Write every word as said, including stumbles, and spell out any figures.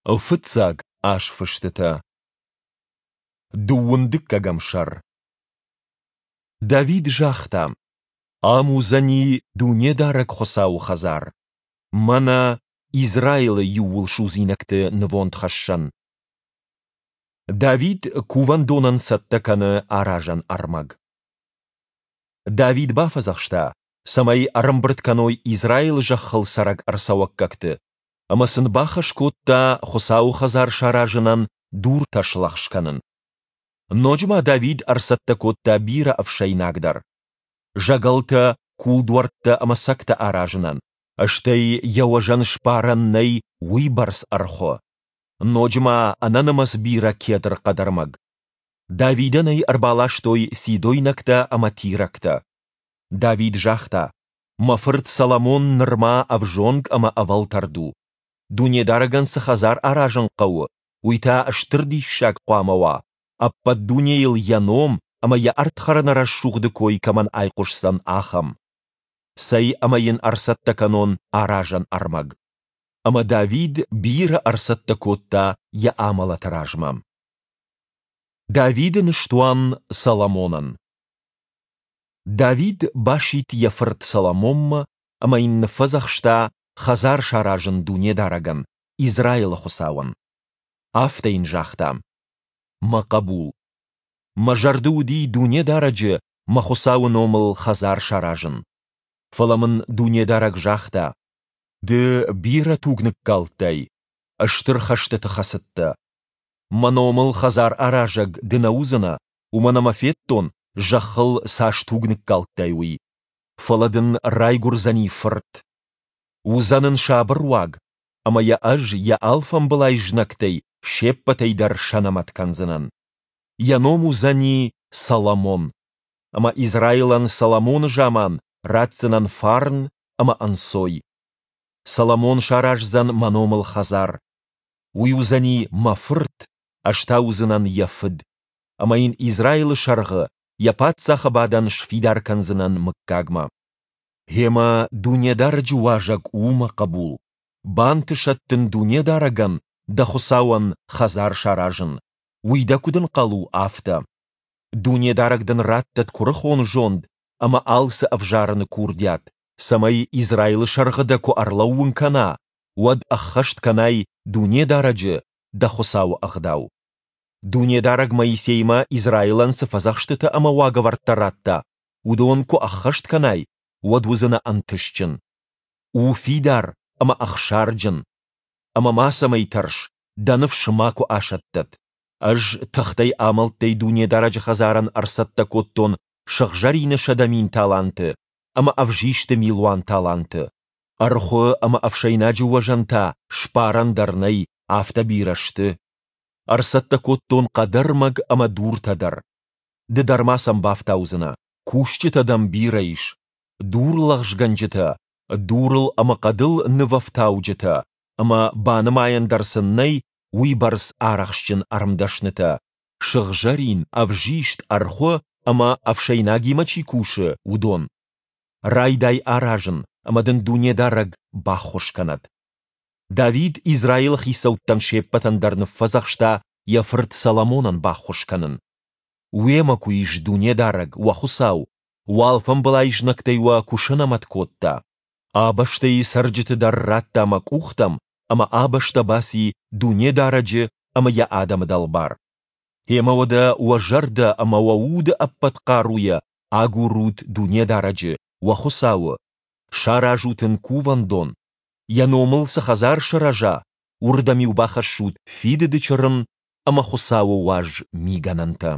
Фыццаг азфыстытӕ. Дыууын дыккӕгӕм сӕр. Давид загъта: Ам уыдзӕни Дунедарӕг Хуыцауы хӕдзар, мӕнӕ Израилы иууылсудзинӕгты нывондхӕссӕн. Давид кувӕндонӕн цӕттӕ кӕны аразӕн ӕрмӕг. Давид бафӕдзӕхста, цӕмӕй ӕрӕмбырд кӕной Израилы зӕххыл цӕрӕг ӕрцӕуӕггӕгты, ӕмӕ сын бахӕс кодта Хуыцауы хӕдзар саразынӕн дуртӕ слӕгъз кӕнын. Ноджы ма Давид ӕрцӕттӕ кодта бирӕ ӕфсӕйнаг дӕр. Зӕгӕлтӕ, кулдуӕрттӕ ӕмӕ цӕгтӕ аразынӕн, стӕй йӕ уӕзӕн сбарӕн нӕй уыйбӕрц ӕрхуы. Ноджы ма ӕнӕнымӕц бирӕ кедр хъӕдӕрмӕг. Давидӕн ӕй ӕрбаластой сидойнӕгтӕ ӕмӕ тирӕгтӕ. Давид загъта: Мӕ фырт Соломон нырма ӕвзонг ӕмӕ ӕвӕлтӕрд у. Дунедарӕгӕн цы хӕдзар аразын хъӕуы, уый та стыр диссаг хъуамӕ уа, ӕппӕт дунейыл йӕ ном ӕмӕ йӕ ӕрдхӕрӕны рӕсугъды кой кӕмӕн айхъуысдзӕн, ахӕм. Цӕй ӕмӕ йын ӕрцӕттӕ кӕнон аразӕн ӕрмӕг. Ӕмӕ Давид бирӕ ӕрцӕттӕ кодта йӕ амӕлӕты размӕ. Давиды ныстуан Соломонӕн. Давид басидт йӕ фырт Соломонмӕ ӕмӕ йын ныффӕдзӕхста хӕдзар саразын Дунедарӕгӕн, Израилы Хуыцауӕн. Афтӕ йын загъта: Мӕ хъӕбул, мӕ зӕрды уыди Дунедарӕджы, мӕ Хуыцауы номыл хӕдзар саразын. Фӕлӕ мын Дунедарӕг загъта: Ды бирӕ туг ныккалдтай, стыр хӕстыты хӕцыдтӕ. Мӕ номыл хӕдзар аразӕг ды нӕ уыдзынӕ, уымӕн ӕмӕ федтон, зӕххыл цас туг ныккалдтай, уый. Фӕлӕ дын райгуырдзӕни фырт. Уыдзӕн ын сабыр уаг, ӕмӕ йӕ ӕз йӕ алфамбылай знӕгтӕй се ппӕтӕй дӕр сӕнӕмӕт кӕндзынӕн. Йӕ ном уыдзӕни Соломон. Ӕмӕ Израилӕн Соломоны заман ратдзынӕн фарн ӕмӕ ӕнцой. Соломон сараздзӕн мӕ номыл хӕдзар. Уый уыдзӕни мӕ фырт, ӕз та уыдзынӕн йӕ фыд. Ӕмӕ йын Израилы сӕргъы йӕ паддзахы бадӕн сфидар кӕндзынӕн мыггагмӕ. Гъемӕ Дунедарӕджы уазӕг у, мӕ хъӕбул, бантысӕд дын Дунедарӕгӕн, дӕ Хуыцауӕн, хӕдзар саразын, уый дӕ куыд ӕнхъӕл у, афтӕ. Дунедарӕг дын раттӕд куырыхон зонд ӕмӕ алцы ӕвзарыны курдиат, цӕмӕй Израилы сӕргъы дӕ куы ӕрлӕууын кӕна, уӕд ӕххӕст кӕнай Дунедарӕджы, дӕ Хуыцауы ӕгъдау. Дунедарӕг Моисеймӕ Израилӕн цы фӕдзӕхстытӕ ӕмӕ уагӕвӕрдтӕ радта, уыдон куы ӕххӕст кӕнай, уӕд уыдзынӕ ӕнтыстджын. У фидар ӕмӕ ӕхсарджын. Ӕмӕ мацӕмӕй тӕрс, дӕ ныфс макуы асӕттӕд. Ӕз тыхтӕй-амӕлттӕй Дунедарӕджы хӕдзарӕн ӕрцӕттӕ кодтон сыгъзӕрины сӕдӕ мин таланты ӕмӕ ӕвзисты милуан таланты. Ӕрхуы ӕмӕ ӕфсӕйнаджы уӕзӕн та сбарӕн дӕр нӕй, афтӕ бирӕ сты. Ӕрцӕттӕ кодтон хъӕдӕрмӕг ӕмӕ дуртӕ дӕр. Ды дӕр ма сӕм бафтаудзынӕ. Кусджытӕ дӕм бирӕ ис, дурлӕгъзгӕнджытӕ, дурыл ӕмӕ хъӕдыл нывӕфтауджытӕ, ӕмӕ банымайӕн дӕр сын нӕй уыйбӕрц арӕхстджын ӕрмдӕснытӕ, сыгъзӕрин, ӕвзист, ӕрхуы ӕмӕ ӕфсӕйнагимӕ чи кусы, уыдон. Райдай аразын, ӕмӕ дын Дунедарӕг баххуыс кӕнӕд. Давид Израилы хицӕуттӕн се ппӕтӕн дӕр ныффӕдзӕхста йӕ фырт Соломонӕн баххуыс кӕнын. Уемӕ куы ис Дунедарӕг, уӕ Хуыцау, уӕ алфамбылай знӕгтӕй уӕ куы сӕнӕмӕт кодта. А бӕстӕйы цӕрджыты дӕр радта мӕ къухтӕм, ӕмӕ а бӕстӕ баци Дунедарӕджы ӕмӕ йӕ адӕмы дӕлбар. Гъемӕ уӕдӕ уӕ зӕрдӕ ӕмӕ уӕ уды ӕппӕт хъаруйӕ агурут Дунедарӕджы, уӕ Хуыцауы, саразут ын кувӕндон, йӕ номыл цы хӕдзар сырӕза, уырдӕм-иу бахӕссут Фидыды Чырын ӕмӕ Хуыцауы уаз мигӕнӕнтӕ.